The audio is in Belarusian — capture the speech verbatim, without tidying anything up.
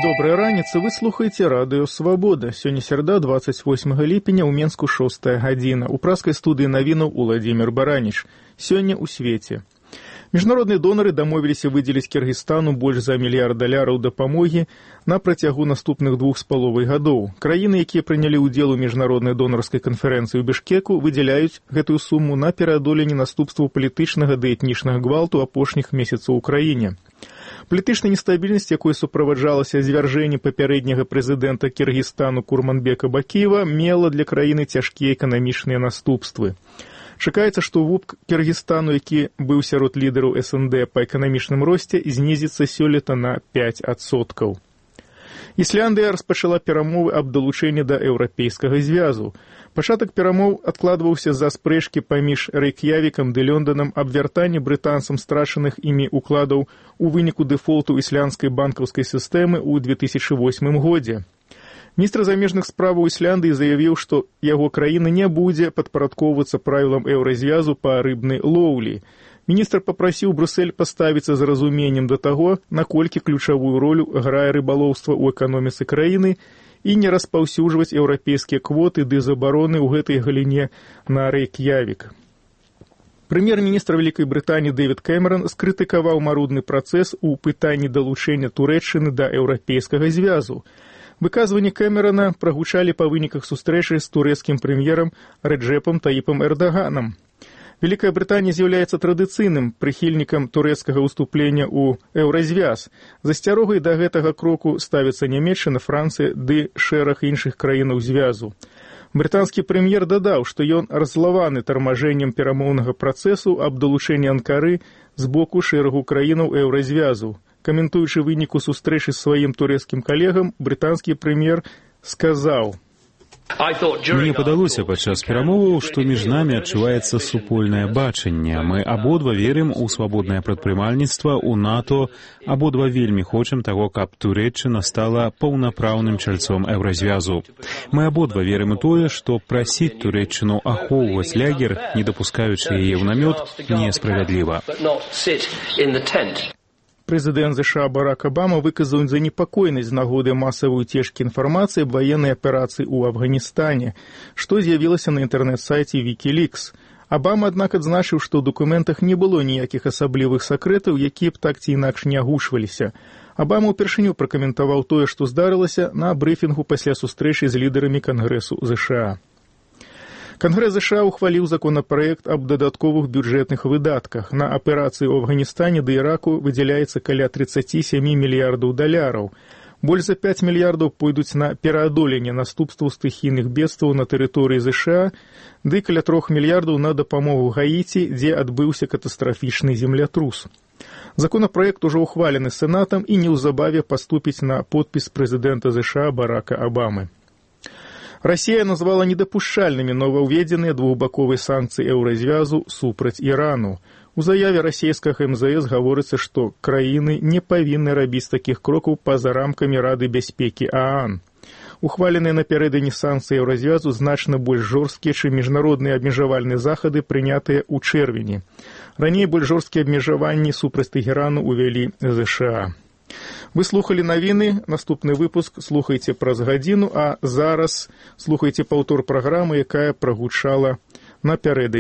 Добрая раніца, вы слухаеце радыё «Свабода». Сёння серада, двадцать восьмага ліпеня, у Менску шостая гадзіна. У праскай студыі навінаў Уладзімір Бараніч. Сёння ў свеце. Міжнародныя донары дамовіліся выдзеліць Кіргізстану больш за мільярд даляраў дапамогі на працягу наступных двух з паловай гадоў. Краіны, якія прынялі ўдзел у міжнароднай донарскай канферэнцыі ў Бішкеку, выдзяляюць гэтую суму на пераадоленне наступстваў палітычнага ды этнічнага гвалту апошніх месяцаў у краіне. Палітычная нестабільнасць, якой суправаджалася звяржэнне папярэдняга прэзідэнта Кіргізстану Курманбека Бакіева, мела для краіны цяжкія эканамічныя наступствы. Чакаецца, што вуп Кіргізстану, які быў сярод лідараў эс эн дэ па эканамічным росце, знізіцца сёлета на пяць адсоткаў. Ісляндыя распачала перамовы аб далучэнні да еўрапейскага звязу. Пачатак перамоў адкладваўся з-за спрэчкі паміж Рэйк'явікам ды Лёнданам аб вяртанні брытанцам страчаных імі укладаў у выніку дэфолту ісландскай банкаўскай сістэмы ў две тысячы восьмым годзе. Міністр замежных справаў Ісляндыі заявіў, што яго краіна не будзе падпарадкоўвацца правілам еўразвязу па рыбнай лоўлі. Міністр папрасіў Брюссель паставіцца з разуменнем да таго, наколькі ключавую ролю грае рыбалоўства ў эканоміцы краіны і не распаўсюджваць еўрапейскія квоты ды забароны ў гэтай галіне на Рэйк'явік. Прэм'ер-міністр Вялікай Брытаніі Дэвід Кэмерон скрытыкаваў марудны працэс у пытанні далучэння Турэччыны да еўрапейскага звязу. Выказванні Кэмерона прагучалі па выніках сустрэчы з турэцкім прэм'ерам Рэджэпам Таіпам Эрдаганам. Вялікая Брытанія з'яўляецца традыцыйным прыхільнікам турэцкага ўступлення ў еўразвяз. За асцярогай да гэтага кроку ставяцца Нямецчына, Францыя ды шэраг іншых краінаў звязу. Брытанскі прэм'ер дадаў, што ён раззлаваны тармажэннем перамоўнага працэсу аб далучэнні Анкары з боку шэрагу краінаў еўразвязу. Каментуючы выніку сустрэчы з сваім турэцкім калегам, брытанскі прэм'ер сказаў: «Мне падалося падчас перамоваў, што між намі адчуваецца супольнае бачанне. Мы абодва верым у свабоднае прадпрымальніцтва, у НАТО, абодва вельмі хочам таго, каб Турэччына стала паўнапраўным чальцом еўразвязу. Мы абодва верым у тое, што прасіць Турэччыну ахоўваць лягер, не дапускаючы яе ў намёт, несправядліва». Прэзідэнт ЗША Барак Абама выказаў занепакоенасць з нагоды масавай уцечкі інфармацыі аб ваеннай аперацыі ў Афганістане, што з'явілася на інтэрнэт-сайце Вікілікс. Абама, аднак, адзначыў, што ў дакументах не было ніякіх асаблівых сакрэтаў, якія б так ці інакш не агушваліся. Абама ўпершыню пракаментаваў тое, што здарылася на брыфінгу пасля сустрэчы з лідарамі Кангрэсу ЗША. Кангрэс ЗША ухваліў законапраект аб дадатковых бюджэтных выдатках. На аперацыі ў Афганістане ды Іраку выдзяляецца каля тридцать семь мільярдаў даляраў. Больш за пяць мільярдаў пойдуць на пераадоленне наступстваў стыхійных бедстваў на тэрыторыі ЗША, ды каля трох мільярдаў на дапамогу Гаіці, дзе адбыўся катастрафічны землятрус. Законапраект ужо ухвалены Сенатам і неўзабаве паступіць на подпіс прэзідэнта ЗША Барака Абамы. Расія назвала недапушчальнымі новаўведзеныя двухбаковыя санкцыі еўразвязу супраць Ірану. У заяве расійскага эм зэ эс гаворыцца, што краіны не павінны рабіць такіх крокаў па-за рамкамі Рады бяспекі ААН. Ухваленыя напярэдадні санкцыі еўразвязу значна больш жорсткія, чым міжнародныя абмежавальныя захады, прынятыя ў чэрвені. Раней больш жорсткія абмежаванні супраць Тэхерану ўвялі ЗША. Вы слухали навіны, наступны выпуск слухайце праз гадзіну, а зараз слухайце паўтор праграмы, якая прагучала напярэдадні.